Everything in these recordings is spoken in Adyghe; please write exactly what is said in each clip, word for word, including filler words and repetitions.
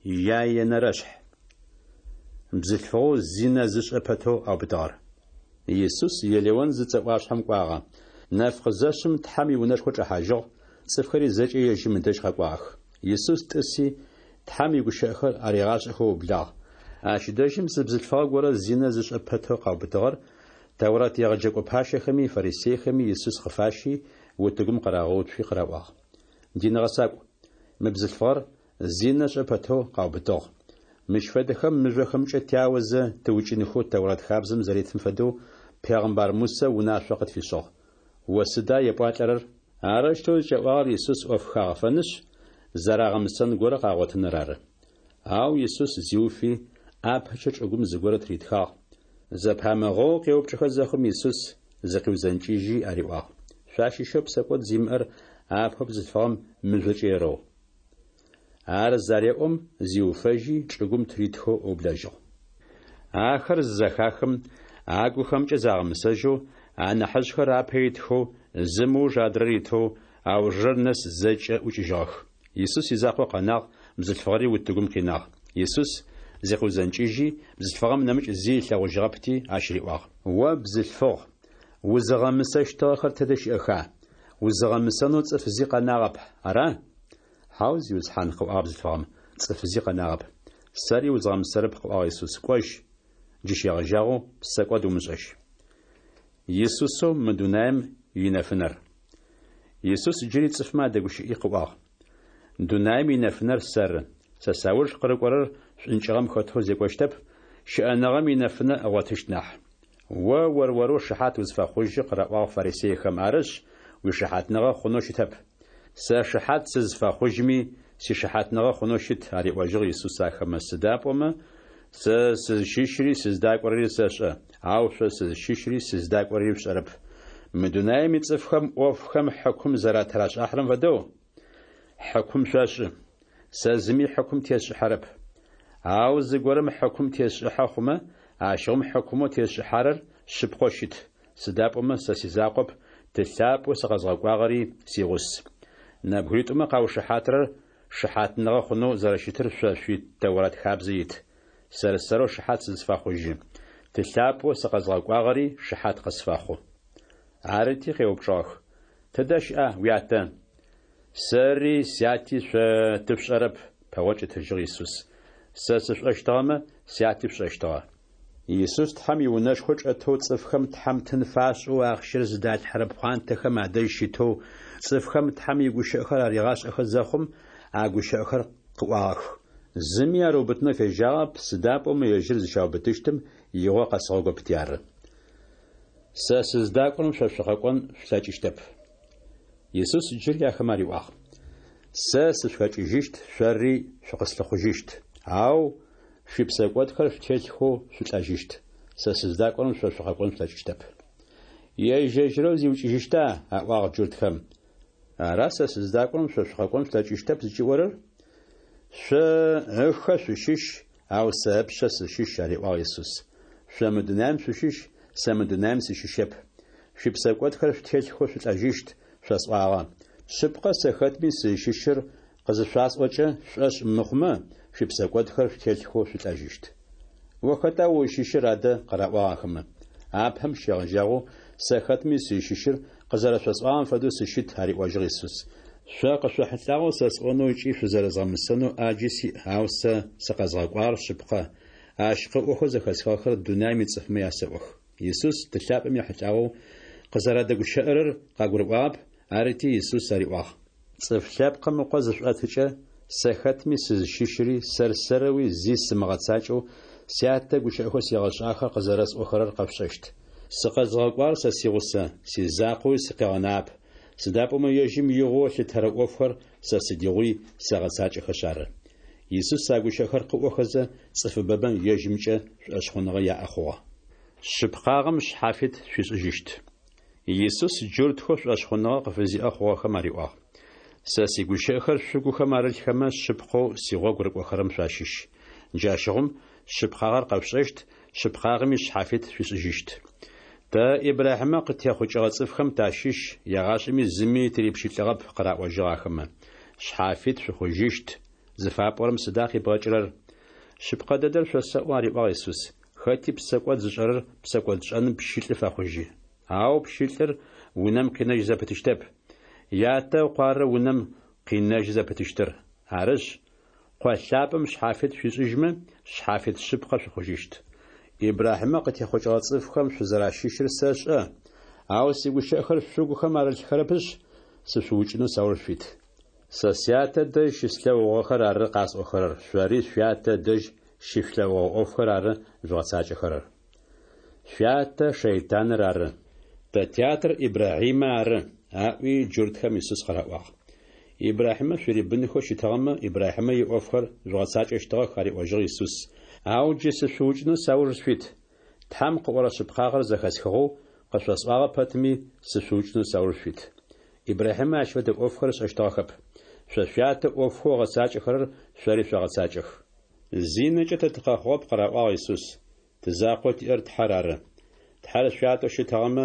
Яенэрэшъхь. Бзылъфыгъэу зинэ зышӏэ пэтэу аубытыгъэр. Исус Елеон зыцӏэ ӏуашъхьэм кӏуагъэ. Нэф къызэшъым, Тхьэм иунэшхо чӏэхьажьыгъ, цӏыфхэри зэкӏэ ежьым ыдэжь къэкӏуагъэх. Исус тӏыси, Тхьэм игущыӏэхэр аригъашӏэхэу ыублагъ. Ащ дэжьым зы бзылъфыгъэ горэ зинэ зышӏэ пэтэу къаубытыгъэр Тэурат егъэджэкӏо пащэхэми фарисейхэми Исус къыфащи, утыгум къырагъэуцуи къыраӏуагъ: Дин гъэсакӏу, мы бзылъфыгъэр зинэ ышӏэ пэтэу къаубытыгъ. Мыщ фэдэхэм мыжъохэмкӏэ тяозэ тыукӏынхэу Тэурат хабзэм зэритым фэдэу пегъымбар Мусэ унашъо къытфишӏыгъ. О сыда епӏуалӏэрэр? Арэущтэу зыкӏаӏуагъэр Исус ӏоф хагъэфэнышъ, зэрагъэмысэн горэ къагъотыныр ары. Ау Исус зиуфи, ӏапэкӏэ чӏыгум зыгорэ тыритхагъ. Зэпамыгъэоу къеупчӏыхэ зэхъум, Исус зыкъиузэнкӏыжьи ариӏуагъ: Шъуащыщэу псэкӏод зимыӏэр апэу бзылъфыгъэм мыжъокӏэ ерэу. Ар зареӏом, зиуфэжьи, чӏыгум тыритхэу ыублэжьыгъ. Ахэр зызэхахым, агухэмкӏэ загъэмысэжьэу, анахьыжъхэр апэ итхэу, зым ыуж адрэр итэу, аужырэр нэс зэкӏэ ӏукӏыжьыгъэх. Исус изакъоу къэнагъ, бзылъфыгъэри утыгум къинагъ. Исус зыкъиузэнкӏыжьи, бзылъфыгъэм нэмыкӏ зи ылъэгъужьыгъэпти, ащ риӏуагъ: О бзылъфыгъ, узыгъэмысэщтыгъэхэр тэдэ щыӏэха? Узыгъэмысэнэу цӏыф зи къэнагъэп, ара? Хьау, Зиусхьан, къыӏуагъ бзылъфыгъэм, цӏыф зи къэнагъэп. Сэри узгъэмысэрэп, къыӏуагъ Исус, кӏожь, джы щегъэжьагъэу псэкӏод умышӏэжь. Исусэу мы дунаим инэфынэр. Исус джыри цӏыфмэ адэгущыӏи къыӏуагъ: Дунаим инэфынэр сэры. Сэ сауж къырыкӏорэр шӏункӏыгъэм хэтэу зекӏощтэп, щыӏэныгъэм инэфынэ ыгъотыщт нахь. О ор-орэу шыхьат узфэхъужьы, къыраӏуагъ фарисейхэм, арышъ, уишыхьатныгъэ хъунэу щытэп. Сэ шыхьат сызфэхъужьми, сишыхьатныгъэ хъунэу щыт, ариӏожьыгъ Исус ахэмэ, сыда пӏомэ сэ сызщыщри сыздакӏорэри сэшӏэ, ау шъо сызщыщри сыздакӏорэри шъушӏэрэп. Мы дунаим ицӏыфхэм ӏофхэм хьыкум зэратырашӏыхьэрэм фэдэу, хьыкум шъошӏы. Сэ зыми хьыкум тесшӏыхьэрэп. Ау зыгорэм хьыкум тесшӏыхьэ хъумэ, ащыгъум хьыкумэу тесшӏыхьэрэр шъыпкъэу щыт, сыда пӏомэ сэ сизакъоп, Ты лъапӏэу сыкъэзгъэкӏуагъэри сигъус. Нэбгыритӏумэ къаушыхьатырэр шыхьатныгъэ хъунэу зэрэщытыр шъо шъуи Тэурат хабзэ ит. Сэр-сэрэу шыхьат сызфэхъужьы. Ты лъапӏэу сыкъэзгъэкӏуагъэри шыхьат къысфэхъу. Арыти къеупчӏыгъэх: Тыдэ щыӏа уятэ? Сэри сяти шъо тышъушӏэрэп, пэгъокӏ ытыжьыгъ Исус. Сэ сышъушӏэщтыгъэмэ, сяти шъушӏэщтыгъэ. Исус Тхьэм иунэшхо чӏэтэу цӏыфхэм Тхьэм тын фашӏэу ахъщэр зыдалъхьэрэ пхъуантэхэм адэжь щытэу, цӏыфхэм Тхьэм игущыӏэхэр аригъашӏэхэ зэхъум, а гущыӏэхэр къыӏуагъэх. Зыми ар ыубытынэу фежьагъэп, сыда пӏомэ ежьыр зыщаубытыщтым игъо къэсыгъэгопти ары. Сэ сыздакӏорэм шъо шъукъэкӏон шъулъэкӏыщтэп. Исус джыри ахэмэ ариӏуагъ: Сэ сышъухэкӏыжьыщт, шъори шъукъыслъыхъужьыщт, ау шъуипсэкӏодхэр шъутелъхэу шъулӏэжьыщт. Сэ сыздакӏорэм шъо шъукъэкӏон шъулъэкӏыщтэп. Ежь-ежьырэу зиукӏыжьыщта? Аӏуагъ джуртхэм. Ара сэ сыздакӏорэм шъо шъукъэкӏон шъулъэкӏыщтэп зыкӏиӏорэр? Шъо ыхэ шъущыщ, ау сэ ыпшъэ сыщыщ, ариӏуагъ Исус. Шъо мы дунаим шъущыщ, сэ мы дунаим сыщыщэп. Шъуипсэкӏодхэр шъутелъхэу шъулӏэжьыщт, шъосӏуагъэ. Шъыпкъэ, сэ хэтми сызщыщыр къызышъуасӏокӏэ, шъушӏошъ мыхъумэ, шъуипсэкӏодхэр шъутелъхэу шъулӏэжьыщт. О хэта узщыщыр адэ? Къыраӏуагъ ахэмэ. Апэм щегъэжьагъэу сэ хэтми сызщыщыр къызэрэшъосӏуагъэм фэдэу сыщыт, ариӏожьыгъ Исус. Шъо къышъохьылӏагъэу сэ сӏонэу ыкӏи шъузэрэзгъэмысэнэу ӏаджи сиӏ, ау сэ сыкъэзгъэкӏуагъэр шъыпкъэ, ащ къыӏохэу зэхэсхыгъэхэр дунаим ицӏыфмэ ясэӏох. Исус Ты лъапӏэм ехьылӏагъэу къызэрадэгущыӏэрэр къагурыӏуагъэп, арыти Исус ариӏуагъ: Цӏыф Лъэпкъым Ыкъо зышъуӏэтыкӏэ, сэ хэтми сызщыщыри сэр-сэрэуи зи сымыгъэцакӏэу Сятэ гущыӏэхэу сигъэшӏагъэхэр къызэрэсӏохэрэр къэшъушӏэщт. Сыкъэзгъэкӏуагъэр сэ сигъусэ, сизакъоуи сыкъигъэнагъэп, сыда пӏомэ ежьым игъоу ылъытэрэ ӏофхэр сэ сыдигъуи сэгъэцакӏэхэшъ ары. Исус а гущыӏэхэр къыӏохэзэ, цӏыфыбэмэ ежьымкӏэ шӏошъхъуныгъэ яӏэ хъугъэ. Шъыпкъагъэм шъхьафит шъуишӏыжьыщт. Исус джуртхэу шӏошъхъуныгъэ къыфызиӏэ хъугъэхэм ариӏуагъ: Сэ сигущыӏэхэр шъугухэм арылъхэмэ, шъыпкъэу сигъогу рыкӏохэрэм шъуащыщ. Джащыгъум шъыпкъагъэр къэшъушӏэщт, шъыпкъагъэми шъхьафит шъуишӏыжьыщт. Тэ Ибрахьимэ къытехъукӏыгъэ цӏыфхэм тащыщ, егъашӏэми зыми тырипщылӏыгъэп, къыраӏожьыгъ ахэмэ. Шъхьафит шъухъужьыщт Зыфапӏорэм сыда къибгъэкӏырэр? Шъыпкъэ дэдэр шъосэӏо, ариӏуагъ Исус, хэти псэкӏод зышӏэрэр псэкӏодшӏэным пщылӏы фэхъужьы. Ау пщылӏыр унэм къинэжь зэпытыщтэп. Ятэ Ыкъу ары унэм къинэжьы зэпытыщтыр. Арышъ, Къо лъапӏэм шъхьафит шъуишӏыжьмэ, шъхьафит шъыпкъэ шъухъужьыщт. Ибрахьимэ къытехъукӏыгъэ цӏыфхэм шъузэращыщыр сэшӏэ, ау сигущыӏэхэр шъугухэм арылъхэрэпышъ, сышъуукӏынэу сауж шъуит. Сэ Сятэ дэжь щыслъэгъугъэхэр ары къасӏохэрэр, шъори шъуятэ ыдэжь щышъулъэгъугъэ ӏофхэр ары жъугъэцакӏэхэрэр. Шъуятэ шэйтаныр ары. Тэ тятэр Ибрахьимэ ары, аӏуи, джуртхэм Исус къыраӏуагъ. Ибрахьимэ шъурибынхэу щытыгъэмэ, Ибрахьимэ иӏофхэр жъугъэцакӏэщтыгъэх, ариӏожьыгъ Исус. Ау джы сышъуукӏынэу сауж шъуит. Тхьэм къыӏорэ шъыпкъагъэр зэхэсхыгъэу къышъосӏуагъэ пэтми, сышъуукӏынэу сауж шъуит. Ибрахьимэ ащ фэдэ ӏофхэр ышӏэщтыгъэхэп. Шъо шъуятэ ӏофхэу ыгъэцакӏэхэрэр шъори шъогъэцакӏэх. Зинэкӏэ тэ тыкъэхъугъэп, къыраӏуагъ Исус. Ты закъоу тиӏэр Тхьэр ары. Тхьэр шъуятэу щытыгъэмэ,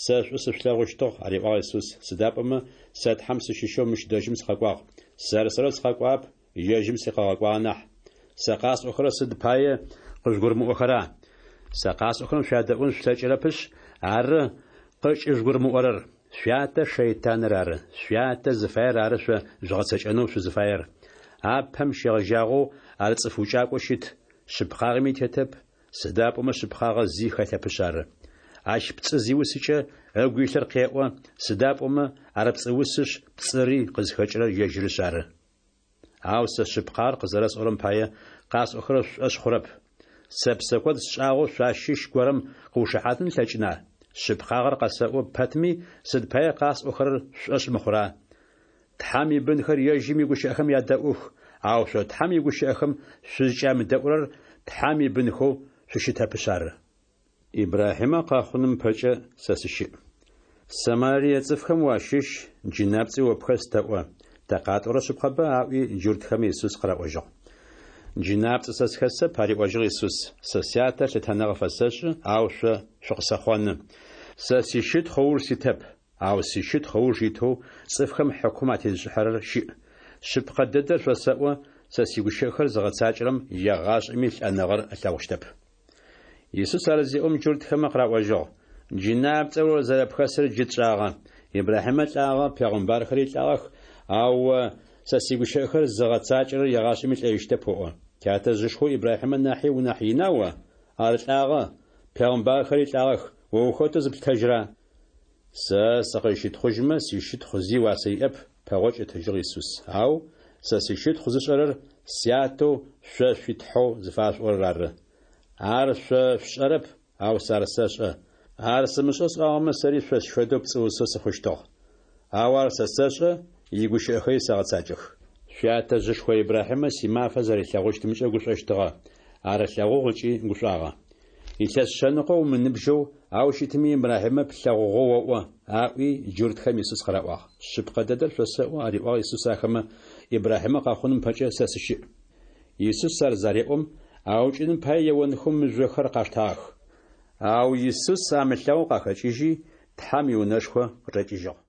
сэ шӏу сышъулъэгъущтыгъ, ариӏуагъ Исус, сыда пӏомэ сэ Тхьэм сыщыщэу мыщ дэжьым сыкъэкӏуагъ. Сэр-сэрэу сыкъэкӏуагъэп, ежьым сыкъыгъэкӏуагъэ нахь. Сэ къасӏохэрэр сыд пае къыжъугурымыӏохэра? Сэ къасӏохэрэм шъуядэӏун шъулъэкӏырэпышъ ары къыкӏыжъугурымыӏорэр. Шъуятэ шэйтаныр ары. Шъуятэ зыфаер ары шъо жъугъэцэкӏэнэу шъузыфаер. Апэм щегъэжьагъэу ар цӏыф укӏакӏоу щыт, шъыпкъагъэми тетэп, сыда пӏомэ шъыпкъагъэ зи хэлъэпышъ ары. Ащ пцӏы зиусыкӏэ, ыгу илъыр къеӏо, сыда пӏомэ ар пцӏыусышъ, пцӏыри къызхэкӏырэр ежьырышъ ары. Ау сэ шъыпкъагъэр къызэрэсӏорэм пае, къасӏохэрэр шъушӏошъ хъурэп. Сэ псэкӏод сшӏагъэу шъуащыщ горэм къыушыхьатын ылъэкӏына? Шъыпкъагъэр къэсэӏо пэтми, сыд пае къасӏохэрэр шъушӏошъ мыхъура? Тхьэм ибынхэр ежьым игущыӏэхэм ядэӏух, ау шъо Тхьэм игущыӏэхэм шъузкӏямыдэӏурэр Тхьэм ибынхэу шъущытэпышъ ары. Ибрахьимэ къэхъуным ыпэкӏэ сэ сыщыӏ. Самарие цӏыфхэм уащыщ, джынапцӏи о пхэс тэӏо, тэ къатӏорэр шъыпкъэба? аӏуи, джуртхэм Исус къыраӏожьыгъ. Джынапцӏэ сэ схэсэп, ариӏожьыгъ Исус, сэ Сятэ лъытэныгъэ фэсэшӏы, ау шъо шъукъысэхъоны. Сэ сищытхъу ыуж ситэп, ау сищытхъу ыуж итэу цӏыфхэм хьыкум атезышӏыхьэрэр щыӏ. Шъыпкъэ дэдэр шъосэӏо, сэ сигущыӏэхэр зыгъэцакӏэрэм егъашӏэми лӏэныгъэр ылъэгъущтэп. Исус ар зеӏом, джуртхэмэ къыраӏожьыгъ: Джынапцӏэ о зэрэпхэсыр джы тшӏагъэ. Ибрахьимэ лӏагъэ, пегъымбархэри лӏагъэх, ау о Сэ сигущыӏэхэр зыгъэцакӏэрэр егъашӏэми лӏэжьыщтэп оӏо. Тятэжъышхоу Ибрахьимэ нахьи унахь ина о? Ар лӏагъэ, пегъымбархэри лӏагъэх, о ухэтэу зыплъытэжьра? Сэ сыкъызщытхъужьмэ, сищытхъу зи уасэ иӏэп, пэгъокӏ ытыжьыгъ Исус. Ау сэ сищытхъу зышӏэрэр Сятэу шъо шъуи Тхьэу зыфашъуӏорэр ары. Ар шъо шъушӏэрэп, ау сэ ар сэшӏэ. Ар сымышӏэу сӏуагъэмэ, сэри шъощ фэдэу пцӏыусэу сыхъущтыгъ. Ау ар сэ сэшӏэ, игущыӏэхэри сэгъэцакӏэх. Шъуятэжъышхо Ибрахьимэ симафэ зэрилъэгъущтымкӏэ гушӏощтыгъэ, ар ылъэгъугъ ыкӏи гушӏуагъэ. Илъэс шъэныкъо умыныбжьэу, ау щытми Ибрахьимэ плъэгъугъэу оӏо, аӏуи, джуртхэм Исус къыраӏуагъ. Шъыпкъэ дэдэр шъосэӏо, ариӏуагъ Исус ахэмэ, Ибрахьимэ къэхъуным ыпэкӏэ сэ сыщыӏ. Исус ар зареӏом, аукӏыным пае еонхэу мыжъохэр къаштагъэх. Ау Исус амылъэгъоу къахэкӏыжьи, Тхьэм иунэшхо къычӏэкӏыжьыгъ.